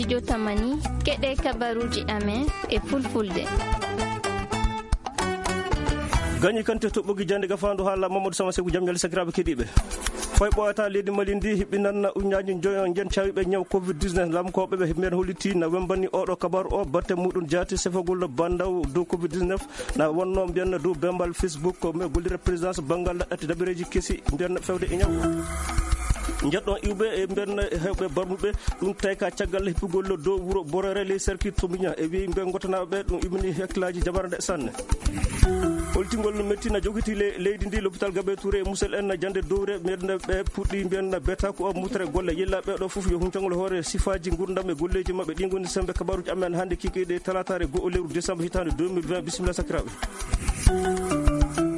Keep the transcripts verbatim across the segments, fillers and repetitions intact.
Jotamani, keɗe kabaruuji amen e fulfulde. Gañi kante toɓɓogi jande gafaandu haala Mamadou Sama Seku, jam ñalle sakiraaɓe keɗiiɓe. Fay ɓooyata leydi Mali ndi hiɓɓinan uñaaji njoyo njen cawiɓe ñaw covid dix-neuf. Lamkooɓe ɓe men holliti na wembani oɗo kabaru o batte muɗum jaati sefagol bandaw dow covid dix-neuf. Na wonno mbiyanna dow bembal Facebook ko men gollira présidence banngal ɗaɗɗati dabareeji kesi mbiyanna fewde e ñaw. Njeɗɗon iwɓe e mbiyanna hewɓe barmuɓe ɗum tawi ka caggal hippugol dow wuro Borere ley cercle Tomiña e wi mbe gotanaaɓe ɓe ɗum immini hakkillaaji jamara nde sanne. Holtingol mettina jogiti le-, leydi ndi, l'hôpital Gabe Touré e Musel en jande dowre mbiyanna ɓe puɗɗi mbiyanna beta ko o mutere golle yilla ɓe ɗo fof yo huncangol hoore sifaaji ngurdam e golleeji maɓɓe. Ɗi ngoni sembe kabaruji amen hannde kikiɗe talataare go'o lewru décembre hitaande deux mille vingt. Bisimilla sakiraaɓe.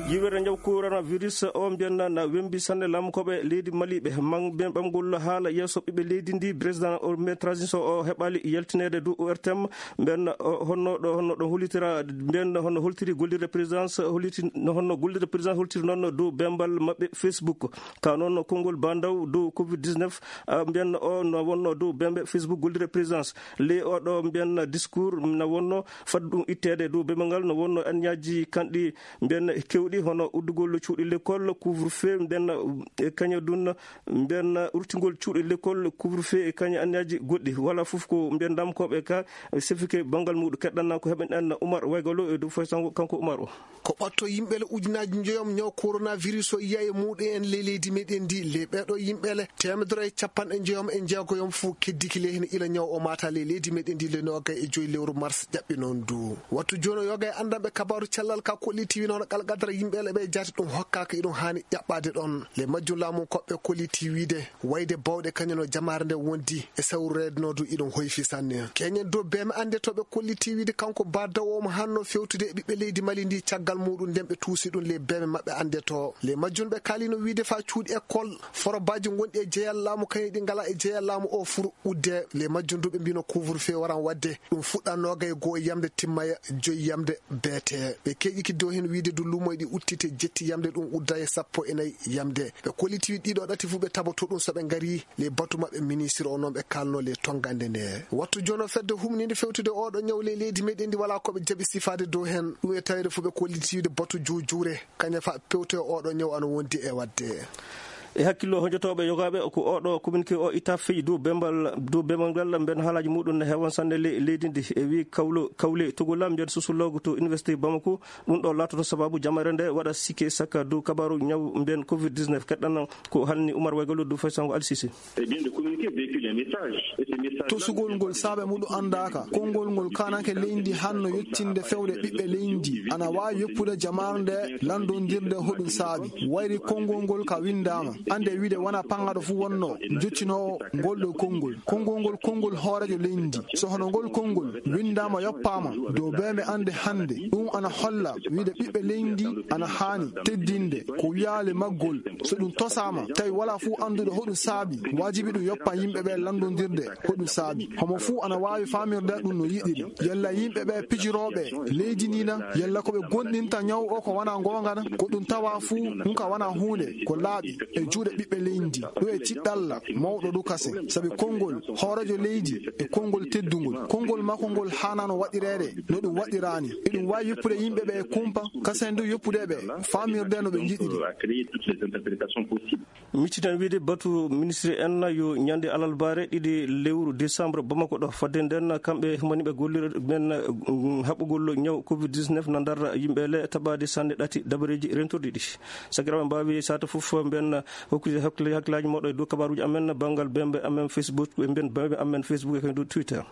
Yiwere ñaw coronavirus o mbiyanna na wembi sanne. Lamkooɓe leydi Mali ɓe man-, ɓe ɓamgol haala yeeso ɓiɓɓe leydi ndi, président o men transition o heɓali yaltinede dow O R T M. Mbiyanna o honno ɗo, honno ɗo hollitira, mbiyanna honno holtiri gollirde présidence, holliti no honno gollirde présidence holtiri noon dow bembal maɓɓe Facebook. Ka noon konngol bandaw dow covid dix-neuf, a, mbiyanna o no wonno dow bembe Facebook gollirde présidence. Ley o ɗo mbiyanna discours na wonno fadde ɗum itteede dow bembe ngal no wonno anniyaji kanɗi mbiyanna kewɗi hono uddugol cuuɗi l'école, couvre-feu, mbiyanna e kaña dunna, mbiyanna urtingol cuuɗi l'école, couvre-feu e kaña anniyaji goɗɗi. Wala fof ko mbiyan ndamkooɓe ka sefike banngal muɗum keɗɗanna ko heɓen en Oumar Waygalo e dow foy sango kanko Oumar o. Ko ɓatto yimɓe le ujunaaji njoyom ñaw coronavirus o yiya e muɗum en ley leydi meɗen ndi. Le ɓeɗo yimɓe le teemedere e capanɗe njoyom e jeegoyom fof keddiki le hene ila ñaw o mata ley leydi meɗen ndi le noga e joyi lewru mars ƴaɓɓi noon du. Wattu jooni o yoga e anndanɓe kabaru cellal ka kolliti wino hono qalqadara yimɓe le ɓe jaati ɗum hokkaka iɗum hani ƴaɓɓade ɗon. Le majjum laamu koɓɓe kolliti wiide wayde bawɗe kañum no jamaare nde wondi e sawrureede no du iɗum hoyfi sanne. Keñen dow beeme annde to ɓe kolliti wiide kanko ba dawooma hanno fewtude e ɓiɓɓe leydi Mali ndi caggal muɗum nden ɓe tuusi ɗum le beeme maɓɓe annde to. Le majjum ɓe kaalino wiide fa cuuɗi école, forobaji gonɗi e jeyal laamu kañum ɗi ngala e jeyal laamu o furu udde. Le majjum du ɓe mbino couvre-feu waran wadde. Ɗum fuɗɗa noga e go'o yamde timmaya joyi yamde beete. Ɓe keƴiki dow hen wiide du lumoy ɗi uttite jetti yamde ɗum udda e sappo e nayi yamde. Ɓe kolliti ɗiɗo ɗati fu ɓe taboto ɗum so ɓe ngari. Le batu maɓɓe ministre o noon ɓe kalno le tongande nde. Wattu jono fedde humninde fewtude oɗo ñaw le leydi meɗen ndi wala ko ɓe jaɓi sifaade dow hen. Ɗum e tawede fu ɓe kolliti wiide batu juujure. Kaña fa pewte oɗo ñaw ana wondi e wadde. E hakkillo hojotooɓe yogaaɓe ko oɗo communiqué o itta feƴi dow bembal, dow bembal ngal mbiyan haalaaji muɗum ne heewan sanne le-, leydi ndi. E wi kawlo, kawle togola mbiyan sosoloogo to Université Bamako. Ɗum ɗo laatoto sababu jamare nde waɗa sikke sakka dow kabaru ñaw mbiyan covid dix-neuf. Keɗɗana ko halni Oumar Waygalo dow faysango Alsisi. Eh bien, le communiqué véhicule un message. Et ce message-là, tosugol ngol saabe muɗum anndaaka. Konngol ngol kanake leydi hanno yettinde fewde ɓiɓɓe leydi. Ana waawi yoppude jamaare nde lanndondirde hoɗum saabi. Wayri konngol ngol ka winndaama. Annde wiide wona paŋaɗo fuu wonno jottinoowo ngol ɗo konngol. Konngol ngol konngol hooreejo leydi. So hono ngol konngol winndaama yoppaama dow beembe annde hannde, ɗum ana holla wiide ɓiɓɓe leydi ana haani teddinde ko wiyaale maggol. So ɗum tosaama, tawi wala fuu annduɗo hoɗum saabi, waajibi ɗum yoppa yimɓe ɓe lanndondirde hoɗum saabi. Homo fuu ana waawi faamirde ɗum no yiɗiri. Yalla yimɓe ɓe pijirooɓe leydi ndi na, yalla ko ɓe gonɗinta ñaw o ko wona ngoonga na, ko ɗum tawa fuu ɗum ka wona huunde ko laaɓi e juuɗe ɓiɓɓe leydi. Ɗum e tiɗɗalla mawɗo ɗum kasen. Sabi konngol hooreejo leydi e konngol teddungol. Konngol makko ngol haanano waɗireede no ɗum waɗiraani. Eɗum waawi yoppude yimɓe ɓe e kumpa, kasen du yoppude ɓe faamirde no ɓe njiɗiri. Micciten wiide batu ministre en yo ñande alarbaare ɗiɗi lewru décembre Bamako ɗo. Fadde nden kamɓe moni ɓe gollira men, mm, haɓɓugol ñaw covid dix-neuf na ndar yimɓe le taɓaade sanne ɗati dabareeji rentorɗi ɗi. Sakiraaɓe mbaawi sata fof mben hokkude hakkil-, hakkilaaji moɗo e dow kabaruuji amen banngal bembe amen Facebook, e mben bembe amen Facebook e dow Twitter.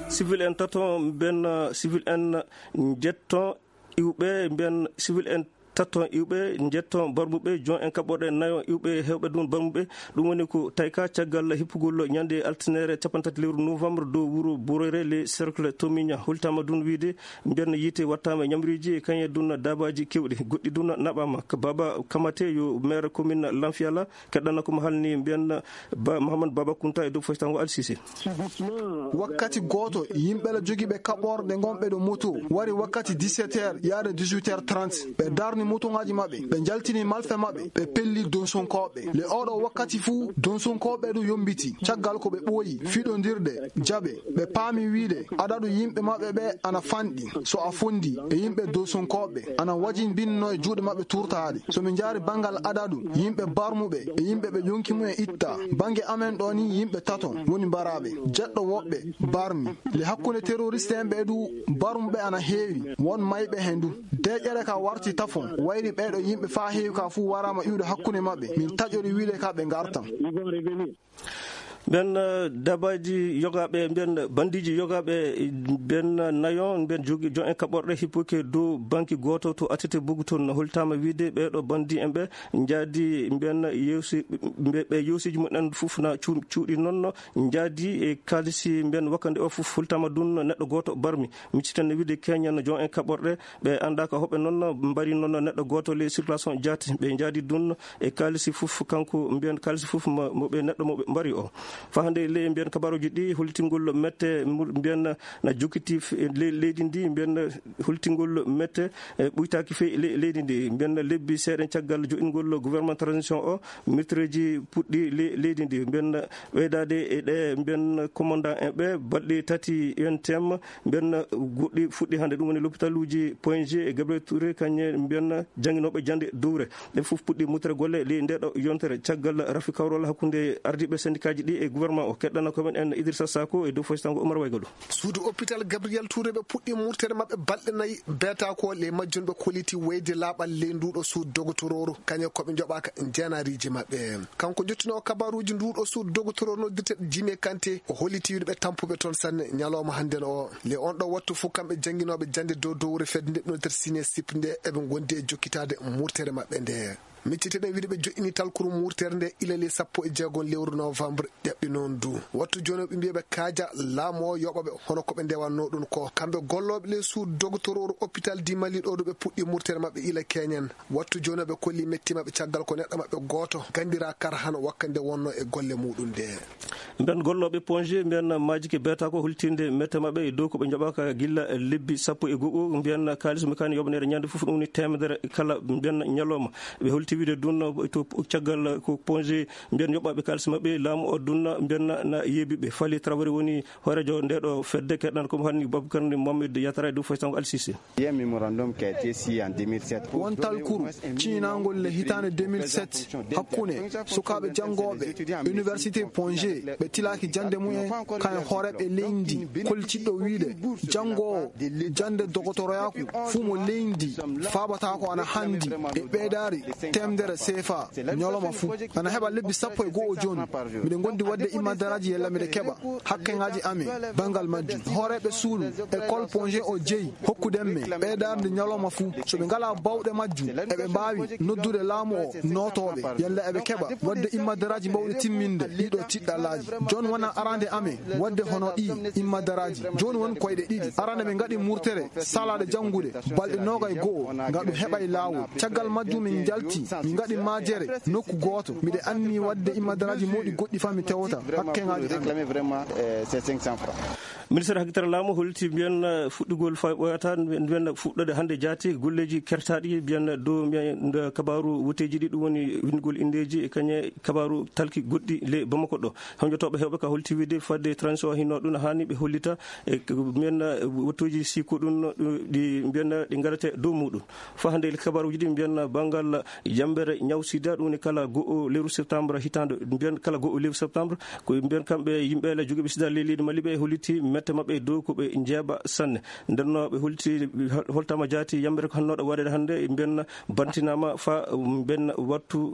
Civil en tato mben, civil en njetto iwɓe mben civil en tatton iwɓe, njetton barmuɓe, jon en kaɓɓoɗe nayon iwɓe hewɓe ɗum barmuɓe. Ɗum woni ko tayka caggal hippugol ñande altine capanɗe tati lewru novembre dow wuro Borere le cercle Tomiña. Holtama ɗum wiide mbiyan yiite wattama e ñamriji e kañe ɗum dabaji kewɗi. Goɗɗi ɗum naɓama. Ko Baba Kamate yo maire commune Lanfiala, keɗɗana ko mo halni mbiyan Ba, Mohamed Baba Kunta e dow foytango Al Sisi. Wakkati gooto, yimɓe la jogiiɓe kaɓorɗe ngonɓe ɗo moto wari wakkati dix-sept heures yaade dix-huit heures trente. Ɓe darni motoŋaaji maɓɓe, ɓe njaltini malfe maɓɓe, ɓe pelli donsonkooɓe. Le oɗo wakkati fuu, donsonkooɓe du yombiti. Caggal ko ɓe ɓooyi fiɗondirde jaɓe, ɓe paami wiide adadu yimɓe maɓɓe ɓe ana fanɗi. So a fondi e yimɓe donsonkooɓe, ana wajin binno e juuɗe maɓɓe turtaade. So min njaari banngal adadu yimɓe barmuɓe e yimɓe ɓe yonki mumen itta, bannge amen ɗo ni yimɓe tato woni mbaraaɓe, jeɗɗo woɓɓe barmi. Le hakkunde teroriste en ɓe du, barmuɓe ana heewi, won mayɓe hen du. Deeƴere ka warti tafon, wayri ɓeeɗo yimɓe faa heewi ka fuu waraama iwde hakkunde maɓɓe. Min taƴori wiide ka ɓe ngartan. Ɓen, eh, dabaaji yogaaɓe, ɓen bandiiji yogaaɓe, ɓen nayo, ɓen jogi jon en kaɓorɗe hippoki dow banki gooto to Atete Bugu toon. Holtaama wiide ɓeeɗo bandi en ɓe njaadi ɓen yewsi-, ɓe, ɓe yewsiiji mumen fof na cuu-, cuuɗi noon, njaadi e kaalisi ɓen wakkande o fof holtaama ɗum neɗɗo gooto barmi. Micciten wiide keñen jon en kaɓorɗe, ɓe anndaa ko hoɓe noon mbari noon neɗɗo gooto le circulation jaati. Ɓe njaadi ɗum e kaalisi fof, kanko mbiyen kaalisi fof mo, mo ɓe neɗɗo mo ɓe mbari o. Faa hannde le mbiyen kabaruuji ɗi holtingol mette mu-, mbiyen na jokkiti f-, le-, leydi ndi, mbiyen holtingol mette, e, ɓuytaaki fey le-, leydi ndi. Mbiyen lebbi seeɗa caggal joɗingol gouvernement transition o, mettereeji puɗɗi le-, leydi ndi. Mbiyen ɓeydaade e ɗe mbiyen commandant en ɓe balɗe tati U N T M, mbiyen goɗɗi fuɗɗi hannde, ɗum woni lopitaluuji Point G e Gabriel Touré, kañe mbiyen jannginooɓe jannde dowre. Ɗe fof puɗɗi mutere golle ley nde ɗo yontere caggal rafi kawrol hakkunde ardiiɓe sendikaaji ɗi e gouvernement o. Keɗɗana ko men en Idrissa Sako e dow foytango Oumar Waygado. Suudu hôpital Gabriel Touré ɓe puɗɗi murtere maɓɓe balɗe nayi, beeta ko le majjum ɓe koliti wayde laaɓal ley nduɗo suudu dogotorooru, kañe ko ɓe njoɓaaka jeenariiji maɓɓe. Kanko jottinoo kabaruuji nduɗo suudu dogotorooru noddirte Jimé Kanté, o holliti wiide ɓe tampuɓe toon sanne ñalawma hannden o. Le on ɗo wattu fof kamɓe jannginooɓe jannde dow dowre fedde nde noddirte Sinesip nde eɓe ngondi e jokkitaade murtere maɓɓe nde. Micciteɗen wiide ɓe joƴƴini talkuru murtere nde ilali sappo e jeegom lewru novembre ƴaɓɓi noon du. Wattu jooni o ɓe mbiya ɓe kaaja laamu o yoɓa ɓe hono ko ɓe ndewanno ɗum ko. Kamɓe gollooɓe le suudu dogotorooru hôpital di Mali ɗo du ɓe puɗɗi murtere maɓɓe ila keñen. Wattu jooni o ɓe kolli metti maɓɓe caggal ko neɗɗo maɓɓe gooto gandira kar hano wakkande wonno e golle muɗum nde. Mbiyen gollooɓe Ponge, mbiyen maajike beeta ko hultinde mette maɓɓe e dow ko ɓe njoɓaaka gilla lebbi sappo e go'o. Mbiyen kaalis mo kani yoɓaneede ñande fof ɗum woni teemedere kala mbiyen ñalawma. Ɓe holti wiide dunno to caggal ko Ponge mbiyen yoɓɓaaɓe kaalis maɓɓe laamu o dunna mbiyen na yeebi ɓe. Fali Traoré woni hooreejo nde ɗo fedde, keɗɗan ko mo hanni Babacar ni Mohamed Yatara e dow foytango Al Sisi. Won talkuru ciñinaangol le hitaande deux mille sept hakkunde sukaaɓe janngooɓe université Ponge ɓe tilaaki jannde mumen kan e hooreeɓe leydi ndi, kollitinɗo wiyde janngoowo jannde dogotoroyaaku fuu mo leydi ndi faabataa ko ana hanndi e ɓeydaari teemedere seefa ñalawma fuu. Ana heɓa lebbi sappo e go'o jooni. Miɗen ngondi waɗde immadaraaji yalla miɗe keɓa hakkeŋaaji amen banngal majjum. Hooreeɓe suudu école Ponge o jeyi hokkuden men ɓeydaarde ñalawma fuu. So ɓe ngalaa baawɗe majjum, eɓe mbaawi noddude laamu o nootooɓe yalla eɓe keɓa waɗde immadaraaji mawɗi timminde ɗiɗo tiɗɗallaaji. Jooni wona arande amen waɗde hono ɗii immadaraaji. Jooni won koyɗe ɗiɗi. Arande ɓe ngaɗi murtere salaaɗe janngude balɗe noogay go'o ngam ɗum heɓay laawol. Caggal majjum min njalti, min ngaɗi maajere nokku gooto. Miɗe anni waɗde immadaraaji mawɗi goɗɗi faa mi tewta hakkeŋaaji amen. Ministére hakkitare laamu holti mbiyen fuɗɗugol faa ɓooyata mbiyen fuɗɗode hannde jaati golleeji kertaaɗi mbiyen dow mbiyen nde kabaaru woteeji ɗi ɗum woni winndugol inndeeji e kañe kabaaru talki goɗɗi le Bamako ɗo. Honjotooɓe heewɓe ka holti wiide fadde transition hinno ɗum haani ɓe hollita e mbiyen wattuuji si ko ɗum ɗi mbiyen ɗi ngarate dow muɗum. Faa hannde kabaaruuji ɗi mbiyen banngal yambere ñaw sida ɗum woni kala go'o lewru septembre hitaande mbiyen kala go'o lewru septembre ko mbiyen kamɓe yimɓe la jogiiɓe sida ley leydi Mali ɓe holliti mette maɓɓe dow ko ɓe njeeɓa sanne. Ndenno ɓe holti holtama jaati yambere ko hannooɗo waɗede hannde mbiyen bantinaama faa mbiyen wattu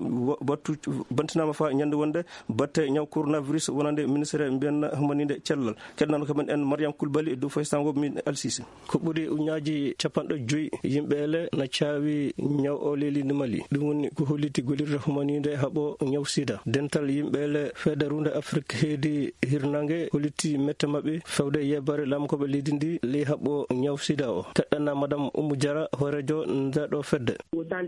wattu bantinaama faa ñande wonde batte ñaw coronavirus wonande ministére mbiyen humaninde cellal. Keɗnano kamen en Mariam Kulbali e dow foysango min Al Sisi. Ko ɓuri uñaaji capanɗe joyi yimɓe ele na caawi ñaw o ley leydi Mali. Ɗum Ko holliti gollirde humaniinde haɓo ñaw sida. Dental yimɓe le fedde runde Afrik heedi hirnange holliti mette maɓɓe fewde yebbare lamkoɓe leydi ndi ley haɓo ñaw sida o. Keɗɗana Madame Oumou Diarra, hoorejo nde ɗo fedde.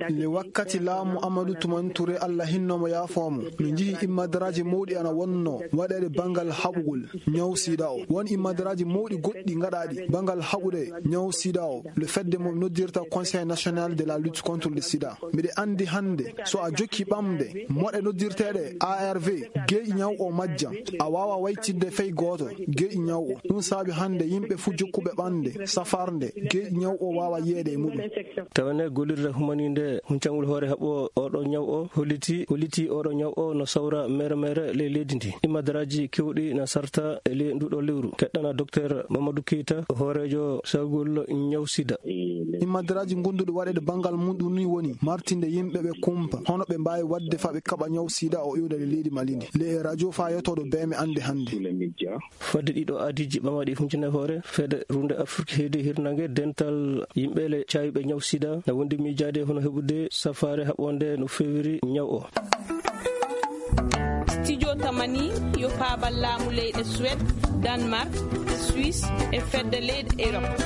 Le wakkati laamu Amadou Toumani Touré, Allah hinno mo, yaafo mo, no njihi immadaraaji mawɗi ana wonno waɗeede banngal haɓugol ñaw sida o. Won immadaraaji mawɗi goɗɗi ngaɗaaɗi banngal haɓude ñaw sida o. Le fedde mo noddirta Conseil National de la Lutte contre le Sida. Miɗe anndi hannde, so a jokki ɓamde moɗe noddirteeɗe A R V, geeƴi ñaw o majjan. A waawa waytinde fey gooto geeƴi ñaw o. Ɗum saabi hannde yimɓe fuu jokkuɓe ɓamde, safarnde, geeƴi ñaw o waawa yiyeede e muɗum. Tawene gollirde humaniinde huncangol hoore haɓo oɗo ñaw o holliti, holliti oɗo ñaw o no sawra mere mere ley leydi ndi. Immadaraaji kewɗi na sarta e ley nduɗo lewru. Keɗɗana Docteur Mamadou Keita, hoorejo sawgol ñaw sida. Immadaraaji gonduɗi waɗeede banngal muɗum ni woni martinde yimɓe ɓe kumpa, hono ɓe mbaawi waɗde fa ɓe kaɓa ñaw sida o iwde e leydi Mali ndi. Le radio fa yotooɗo beeme annde hannde. Fodde ɗiɗo aadiiji ɓamaɗi huncine hoore fedde runde Afrik heedi hirnange dental yimɓe le caayuɓe ñaw sida na wondi miijaade hono heɓude safaare haɓonde no fewiri ñaw o. Studio Tamani yo paabal laamu leyɗe Suède, Danemark, Suisse e fedde leyɗe Europe.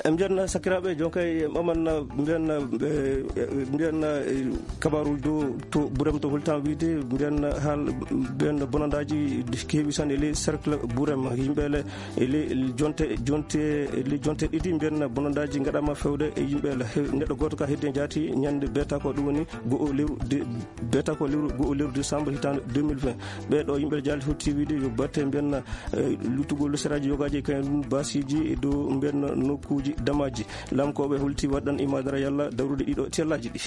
En mbiyan sakiraaɓe, jonkay en ɓaman mbiyan, eh, mbiyan, eh, kabaru dow to Burem to holtan wiide mbiyan haal mbiyan bonandaaji keewi tan e ley cercle Burem yimɓe le e ley jonte, jonte, e ley jonte ɗiɗi mbiyan bonandaaji ngaɗama fewde e yimɓe le. He-, neɗɗo gooto ka heddi en jaati ñande beeta ko ɗum woni go'o lewru de-, beeta ko lewru go'o lewru décembre hitaande deux mille vingt. Ɓee ɗo yimɓe jaali hutti wiide yo batte mbiyan, eh, luttugol seraaji yogaaji e kañum basiji e dow mbiyan nokkuuji damaaji. Lamkooɓe holti waɗan imaadara yalla dawrude ɗiɗo tellaaji ɗi.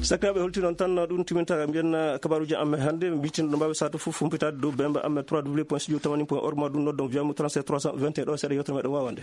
Sakiraaɓe holti noon tan ɗum timinta mbiyan kabaruuji amen hannde. Mbitin ɗo mbaawi sato fof humpitaade dow bemba amen trois w point studio tamani point org ma ɗum noddon wiyamu trente-sept trois cent vingt et un ɗo seeɗa yewtere meɗen waawande.